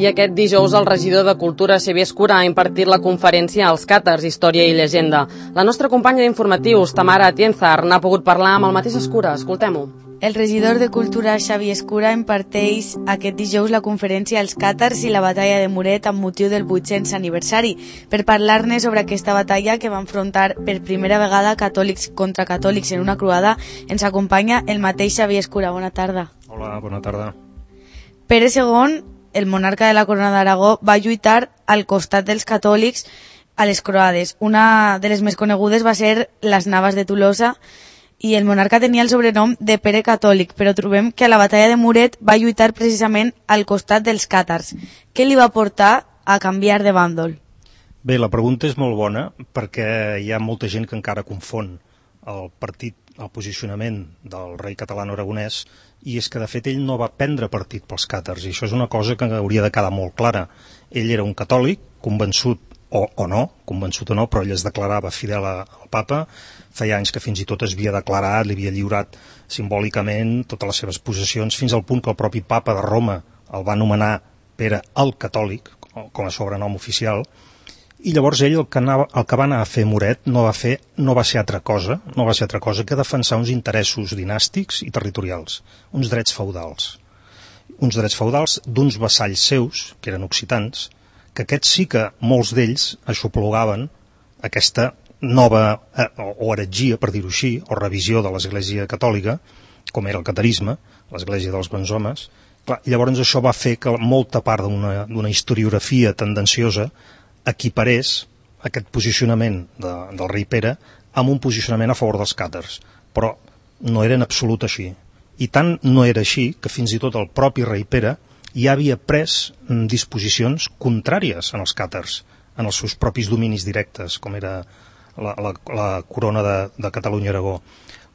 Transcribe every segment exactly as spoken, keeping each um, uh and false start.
I aquest dijous el regidor de Cultura, Xavier Escura, ha impartit la conferència als càtars Història i Llegenda. La nostra companya d'informatius, Tamara Atienzar, n'ha pogut parlar amb el mateix Escura. Escoltem-ho. El regidor de Cultura, Xavier Escura, imparteix aquest dijous la conferència als càtars i la batalla de Muret amb motiu del vuit-cents aniversari. Per parlar-ne sobre aquesta batalla que va enfrontar per primera vegada catòlics contra catòlics en una croada, ens acompanya el mateix Xavier Escura. Bona tarda. Hola, bona tarda. Pere segon, el monarca de la Corona d'Aragó, va lluitar al costat dels catòlics a les croades. Una de les més conegudes va ser les Navas de Tolosa, i el monarca tenia el sobrenom de Pere Catòlic, però trobem que a la batalla de Muret va lluitar precisament al costat dels càtars. Què li va portar a canviar de bàndol? Bé, la pregunta és molt bona perquè hi ha molta gent que encara confon el partit, el posicionament del rei català-aragonès, i és que de fet ell no va prendre partit pels càtars, i això és una cosa que hauria de quedar molt clara. Ell era un catòlic, convençut o, o no, convençut o no, però ell es declarava fidel al papa. Feia anys que fins i tot es havia declarat, li havia lliurat simbòlicament totes les seves possessions, fins al punt que el propi papa de Roma el va anomenar Pere el Catòlic, com a sobrenom oficial, i llavors ell el que, anava, el que va anar a fer Muret no va, fer, no va ser altra cosa, no va ser altra cosa que defensar uns interessos dinàstics i territorials, uns drets feudals. Uns drets feudals d'uns vassalls seus, que eren occitans, que aquests sí que molts d'ells aixoplugaven aquesta nova eh, o heretgia, per dir-ho així, o revisió de l'Església Catòlica, com era el catarisme, l'Església dels Bons Homes. Clar, llavors això va fer que molta part d'una historiografia tendenciosa equiparés aquest posicionament de, del rei Pere amb un posicionament a favor dels càtars, però no era en absolut així. I tant no era així que fins i tot el propi rei Pere ja havia pres disposicions contràries en els càtars, en els seus propis dominis directes, com era la, la, la corona de, de Catalunya-Aragó.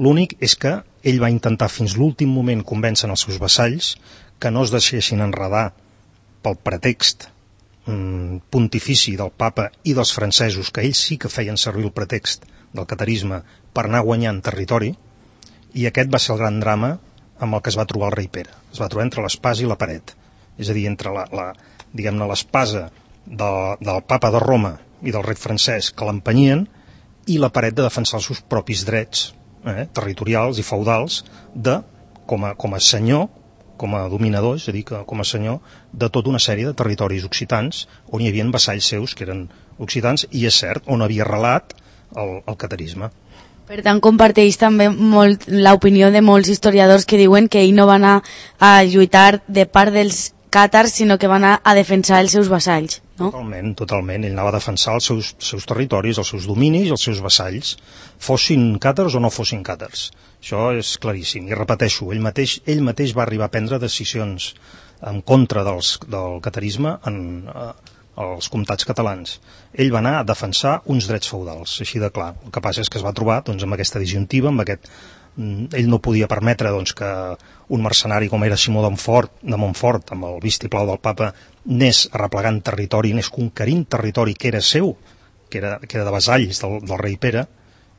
L'únic és que ell va intentar fins l'últim moment convèncer els seus vassalls que no es deixessin enredar pel pretext mm, pontifici del papa i dels francesos, que ells sí que feien servir el pretext del catarisme per anar guanyant territori, i aquest va ser el gran drama amb el que es va trobar el rei Pere. Es va trobar entre l'espasa i la paret, és a dir, entre la, la, diguem-ne, l'espasa de, del papa de Roma i del rei francès que l'empenyien, i la paret de defensar els seus propis drets eh, territorials i feudals de, com a, com a senyor, com a dominador, és a dir, que, com a senyor de tota una sèrie de territoris occitans on hi havia vassalls seus que eren occitans, i és cert, on havia arrelat el, el catarisme. Per tant, comparteix també molt l'opinió de molts historiadors que diuen que ell no va anar a lluitar de part dels càtars, sinó que va anar a defensar els seus vassalls, no? Totalment, totalment. Ell anava a defensar els seus, seus territoris, els seus dominis i els seus vassalls, fossin càtars o no fossin càtars. Això és claríssim. I repeteixo, ell mateix, ell mateix va arribar a prendre decisions en contra dels, del catarisme en eh, els comtats catalans. Ell va anar a defensar uns drets feudals, així de clar. El que passa és que es va trobar doncs, amb aquesta disjuntiva, amb aquest... Ell no podia permetre doncs, que un mercenari com era Simó de Montfort, de Montfort, amb el vistiplau del papa, anés arreplegant territori, anés conquerint territori que era seu, que era, que era de vasalls del, del rei Pere,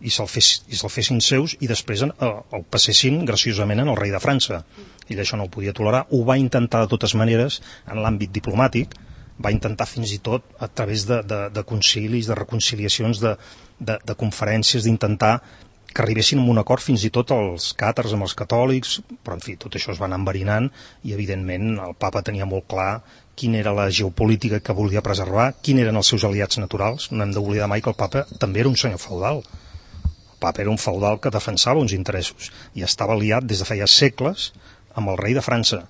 i se'l fes, i se'l fessin seus, i després el, el passessin graciosament en el rei de França. Ell això no ho podia tolerar, ho va intentar de totes maneres en l'àmbit diplomàtic, va intentar fins i tot a través de, de, de concilis, de reconciliacions, de, de, de conferències, d'intentar que arribessin a un acord fins i tot els càtars amb els catòlics, però en fi, tot això es va anar enverinant, i evidentment el papa tenia molt clar quina era la geopolítica que volia preservar, quins eren els seus aliats naturals. No hem d'oblidar mai que el papa també era un senyor feudal. El papa era un feudal que defensava uns interessos i estava aliat des de feia segles amb el rei de França.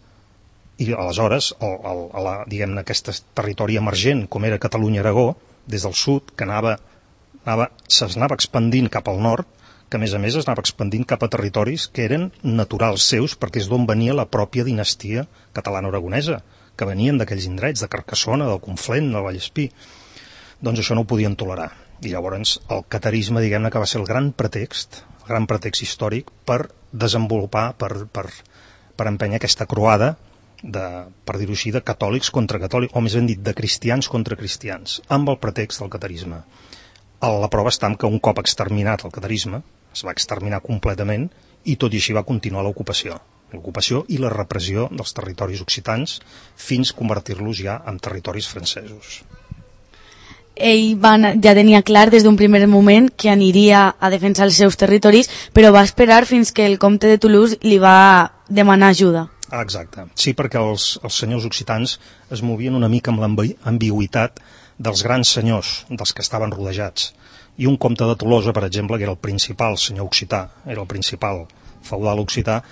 I aleshores, el, el, la, diguem-ne, aquest territori emergent com era Catalunya-Aragó, des del sud, que anava, anava, s'anava expandint cap al nord, que a més a més es anava expandint cap a territoris que eren naturals seus, perquè és d'on venia la pròpia dinastia catalano-aragonesa, que venien d'aquells indrets, de Carcassona, del Conflent, del Vallespí. Doncs això no ho podien tolerar. I llavors el catarisme, diguem-ne, que va ser el gran pretext, el gran pretext històric per desenvolupar, per, per, per empènyer aquesta croada, de, per dir-ho així, de catòlics contra catòlics, o més ben dit, de cristians contra cristians, amb el pretext del catarisme. La prova està en que un cop exterminat el catarisme, es va exterminar completament, i tot i així va continuar l'ocupació. l'ocupació i la repressió dels territoris occitans fins a convertir-los ja en territoris francesos. Ell va, ja tenia clar des d'un primer moment que aniria a defensar els seus territoris, però va esperar fins que el comte de Toulouse li va demanar ajuda. Ah, exacte. Sí, perquè els, els senyors occitans es movien una mica amb l'ambigüitat dels grans senyors, dels que estaven rodejats. I un comte de Tolosa, per exemple, que era el principal senyor occità, era el principal feudal occità,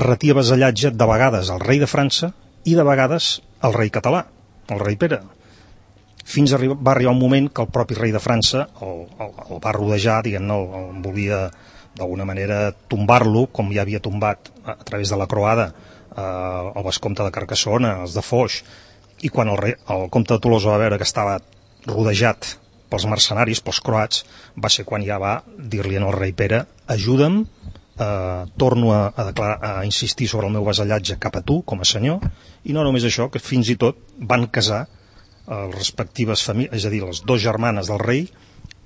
retia vasallatge de vegades al rei de França i de vegades al rei català, el rei Pere. Fins arriba, va arribar un moment que el propi rei de França el, el, el va rodejar, diguem-ne, el, el volia d'alguna manera tombar-lo, com ja havia tombat a, a través de la croada eh, el vescomte de Carcassona, els de Foix, i quan el, rei, el comte de Tolosa va veure que estava rodejat pels mercenaris, pels croats, va ser quan ja va dir-li al rei Pere: ajuda'm, eh, torno a, a, declarar, a insistir sobre el meu vasallatge cap a tu, com a senyor, i no només això, que fins i tot van casar les respectives famílies, és a dir, les dues germanes del rei,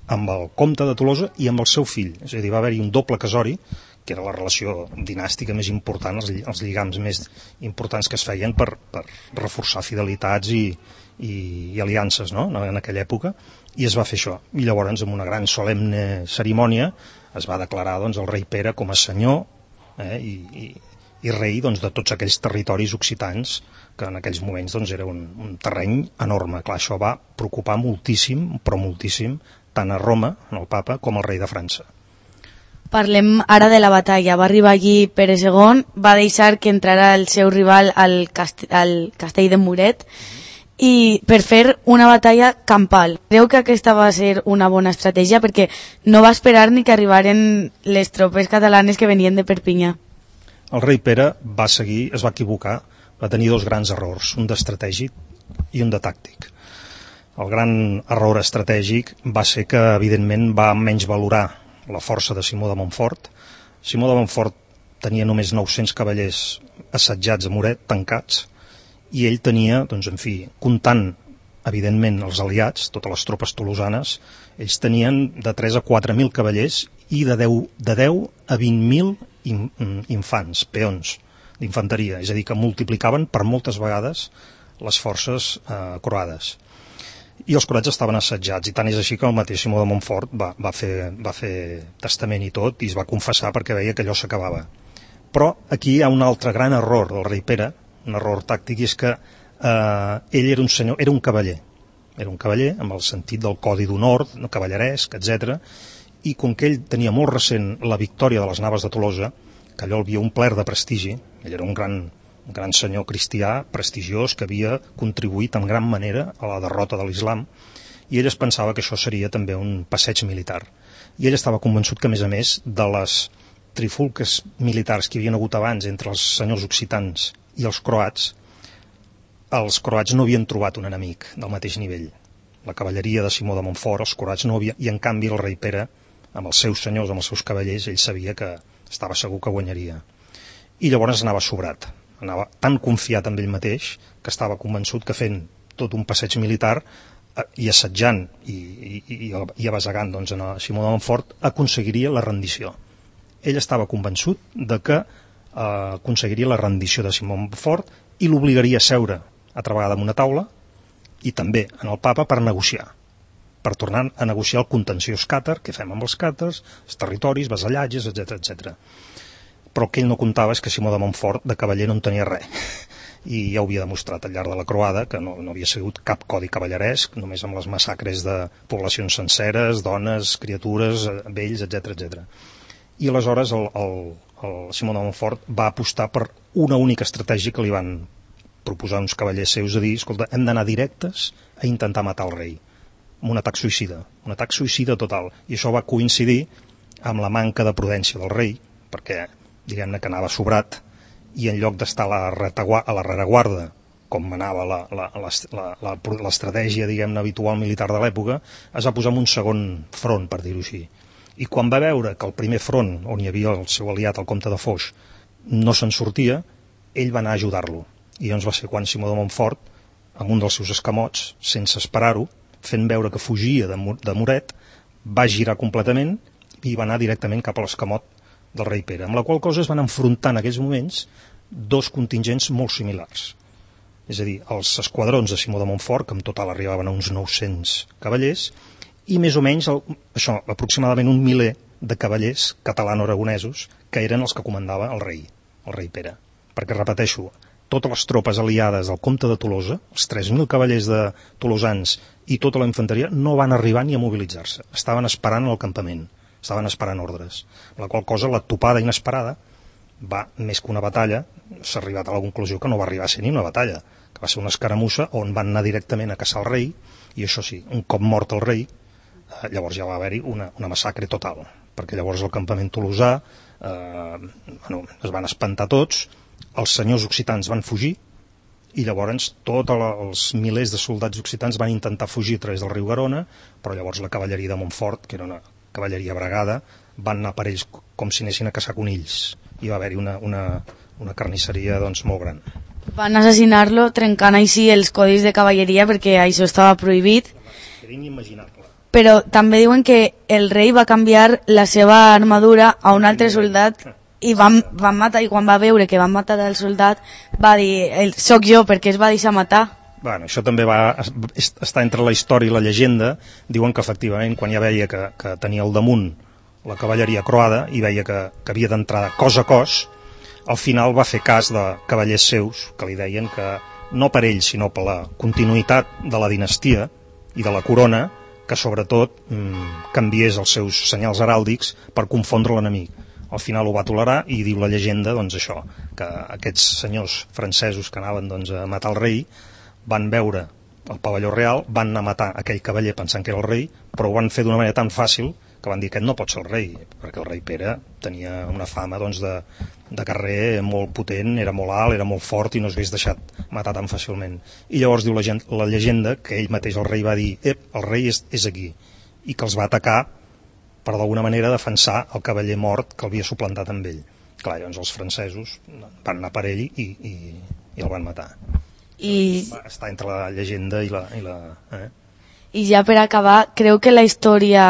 amb el comte de Tolosa i amb el seu fill. És a dir, va haver-hi un doble casori, que era la relació dinàstica més important, els, els lligams més importants que es feien per, per reforçar fidelitats i, i, i aliances, no?, en aquella època, i es va fer això. I llavors, amb una gran solemne cerimònia, es va declarar doncs, el rei Pere com a senyor eh, i, i, i rei doncs, de tots aquells territoris occitans, que en aquells moments doncs, era un, un terreny enorme. Clar, això va preocupar moltíssim, però moltíssim, tant a Roma, en el papa, com al rei de França. Parlem ara de la batalla. Va arribar allí Pere segon, va deixar que entrara el seu rival al, cast al castell de Muret i per fer una batalla campal. Creu que aquesta va ser una bona estratègia perquè no va esperar ni que arribaren les tropes catalanes que venien de Perpinyà. El rei Pere va seguir, es va equivocar, va tenir dos grans errors, un d'estratègic i un de tàctic. El gran error estratègic va ser que, evidentment, va menys valorar la força de Simó de Montfort. Simó de Montfort tenia només nou-cents cavallers assetjats a Muret, tancats, i ell tenia, doncs, en fi, comptant, evidentment, els aliats, totes les tropes tolosanes, ells tenien de tres a quatre mil cavallers i de deu, de deu a vint mil infants, peons d'infanteria, és a dir, que multiplicaven per moltes vegades les forces eh, croades. I els croats estaven assetjats, i tant és així que el mateix Simó de Montfort va, va, fer, va fer testament i tot, i es va confessar perquè veia que allò s'acabava. Però aquí hi ha un altre gran error del rei Pere, un error tàctic, i és que eh, ell era un senyor, era un cavaller, era un cavaller amb el sentit del codi d'honor, cavalleresc, etcètera, i com que ell tenia molt recent la victòria de les naves de Tolosa, que allò el havia omplert de prestigi, ell era un gran, un gran senyor cristià, prestigiós, que havia contribuït en gran manera a la derrota de l'islam, i ell es pensava que això seria també un passeig militar. I ell estava convençut que, a més a més, de les trifulques militars que hi havia hagut abans entre els senyors occitans i els croats, els croats no havien trobat un enemic del mateix nivell. La cavalleria de Simó de Montfort, els croats no havien, i en canvi el rei Pere, amb els seus senyors, amb els seus cavallers, ell sabia que estava segur que guanyaria. I llavors anava sobrat, anava tan confiat en ell mateix que estava convençut que fent tot un passeig militar eh, i assetjant i, i, i, i abasegant doncs, a Simó de Montfort aconseguiria la rendició. Ell estava convençut de que eh, aconseguiria la rendició de Simó de Montfort i l'obligaria a seure altra vegada en una taula i també en el papa per negociar, per tornar a negociar el contenciós càtar, què fem amb els càtars, els territoris, vasallatges, etcètera, etcètera. Però el que ell no comptava és que Simó de Montfort de cavaller no en tenia res, i ja ho havia demostrat al llarg de la croada, que no, no havia sigut cap codi cavalleresc, només amb les massacres de poblacions senceres, dones, criatures, vells, etcètera, etcètera. I aleshores el, el, el Simó de Montfort va apostar per una única estratègia que li van proposar uns cavallers seus, a dir, escolta, hem d'anar directes a intentar matar el rei, amb un atac suïcida, un atac suïcida total. I això va coincidir amb la manca de prudència del rei, perquè, diguem-ne, que anava sobrat, i en lloc d'estar a la rereguarda, com manava l'estratègia, diguem-ne, habitual militar de l'època, es va posar en un segon front, per dir-ho així. I quan va veure que el primer front, on hi havia el seu aliat, el comte de Foix, no se'n sortia, ell va anar a ajudar-lo. I llavors va ser quan Simó de Montfort, amb un dels seus escamots, sense esperar-ho, fent veure que fugia de, Mur de Muret, va girar completament i va anar directament cap a l'escamot del rei Pere, amb la qual cosa es van enfrontar en aquells moments dos contingents molt similars. És a dir, els esquadrons de Simó de Montfort, que en total arribaven a uns nou-cents cavallers, i més o menys, el, això, aproximadament un miler de cavallers catalano-aragonesos, que eren els que comandava el rei, el rei Pere. Perquè, repeteixo, totes les tropes aliades del comte de Tolosa, els tres mil cavallers de tolosans i tota la infanteria, no van arribar ni a mobilitzar-se. Estaven esperant al campament, estaven esperant ordres. La qual cosa, la topada inesperada, va, més que una batalla, s'ha arribat a la conclusió que no va arribar a ser ni una batalla, que va ser una escaramussa on van anar directament a caçar el rei, i això sí, un cop mort el rei, eh, llavors ja va haver-hi una, una massacre total, perquè llavors el campament tolosà, eh, bueno, es van espantar tots, els senyors occitans van fugir, i llavors tots els milers de soldats occitans van intentar fugir a través del riu Garona, però llavors la cavalleria de Montfort, que era una cavalleria bregada, van anar per ells com si anessin a caçar conills, i va haver-hi una, una, una carnisseria doncs, molt gran. Van assassinar-lo trencant així els codis de cavalleria perquè això estava prohibit. Era inimaginable. Però també diuen que el rei va canviar la seva armadura a un altre soldat i van, van matar, i quan va veure que van matar el soldat va dir, soc jo, perquè es va deixar matar. Bueno, això també va estar entre la història i la llegenda. Diuen que efectivament quan ja veia que, que tenia al damunt la cavalleria croada i veia que, que havia d'entrar cos a cos, al final va fer cas de cavallers seus que li deien que no per ell sinó per la continuïtat de la dinastia i de la corona, que sobretot mmm, canviés els seus senyals heràldics per confondre l'enemic. Al final ho va tolerar i diu la llegenda doncs això, que aquests senyors francesos que anaven doncs, a matar el rei van veure el pavelló real, van anar a matar aquell cavaller pensant que era el rei, però ho van fer d'una manera tan fàcil que van dir que aquest no pot ser el rei, perquè el rei Pere tenia una fama doncs, de, de carrer molt potent, era molt alt, era molt fort i no s'hagués deixat matar tan fàcilment. I llavors diu la, gent, la llegenda que ell mateix, el rei, va dir ep, el rei és, és aquí, i que els va atacar per d'alguna manera defensar el cavaller mort que el havia suplantat amb ell. Clar, llavors els francesos van anar per ell i, i, i el van matar. I... Va estar entre la llegenda i la... I, la, eh? I ja per acabar, creu que la història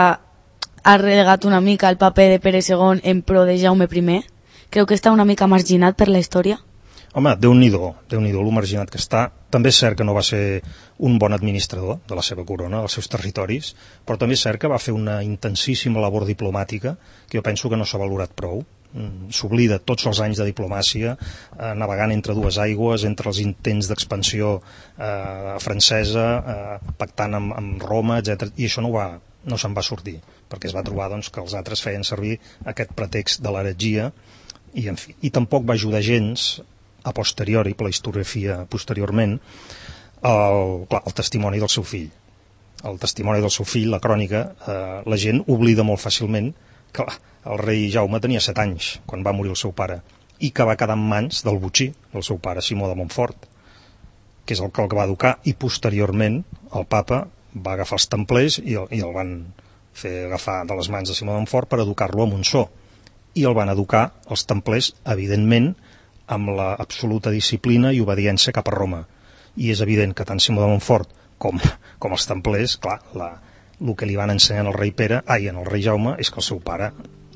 ha relegat una mica el paper de Pere segon en pro de Jaume primer? Creu que està una mica marginat per la història? Home, Déu-n'hi-do, Déu-n'hi-do, lo marginat que està. També és cert que no va ser un bon administrador de la seva corona, dels seus territoris, però també és cert que va fer una intensíssima labor diplomàtica que jo penso que no s'ha valorat prou. S'oblida tots els anys de diplomàcia, eh, navegant entre dues aigües, entre els intents d'expansió eh, francesa, eh, pactant amb, amb Roma, etcètera, i això no, va, no se'n va sortir, perquè es va trobar doncs, que els altres feien servir aquest pretext de l'heretgia, i, en fi, i tampoc va ajudar gens a posteriori, per la historiografia posteriorment, el, clar, el testimoni del seu fill. El testimoni del seu fill, la crònica, eh, la gent oblida molt fàcilment que el rei Jaume tenia set anys quan va morir el seu pare i que va quedar en mans del botxí del seu pare, Simó de Montfort, que és el que el va educar, i posteriorment el papa va agafar els templers i el, i el van fer agafar de les mans de Simó de Montfort per educar-lo a Montsó, i el van educar els templers, evidentment, amb l'absoluta disciplina i obediència cap a Roma. I és evident que tant Simó de Montfort com, com els templers, clar, la, el que li van ensenyar al rei Pere, ai, en el rei Jaume, és que el seu pare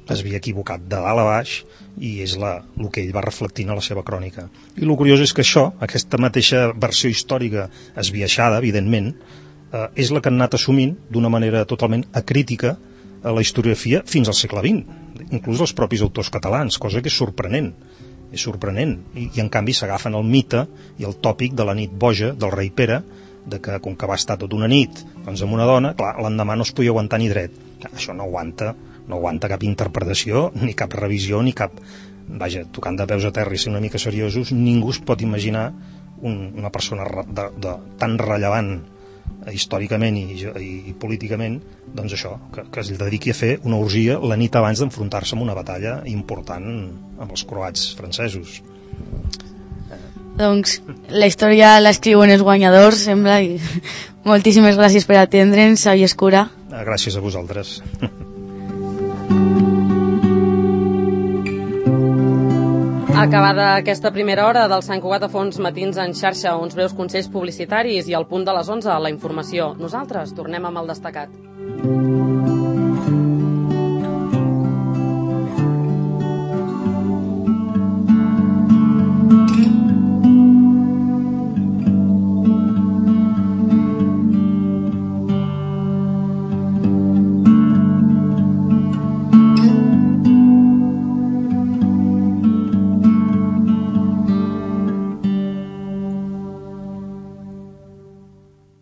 es havia equivocat de dalt a baix i és la, el que ell va reflectint a la seva crònica. I el curiós és que això, aquesta mateixa versió històrica esbiaixada, evidentment, eh, és la que han anat assumint d'una manera totalment acrítica a la historiografia fins al segle vint, inclús els propis autors catalans, cosa que és sorprenent. És sorprenent, I, i en canvi s'agafen el mite i el tòpic de la nit boja del rei Pere, de que com que va estar tota una nit doncs amb una dona, clar, l'endemà no es podia aguantar ni dret. Això no aguanta, no aguanta cap interpretació, ni cap revisió, ni cap... Vaja, tocant de peus a terra i ser una mica seriosos, ningú es pot imaginar un, una persona de, de, tan rellevant històricament i, i, i políticament, doncs això, que, que es dediqui a fer una orgia la nit abans d'enfrontar-se amb una batalla important amb els croats francesos. Doncs la història l'escriuen els guanyadors, sembla, i moltíssimes gràcies per atendre'ns, Xavier Escura. Gràcies a vosaltres. Acabada aquesta primera hora del Sant Cugat a Fons Matins en xarxa, uns breus consells publicitaris i al punt de les onze la informació. Nosaltres tornem amb el destacat.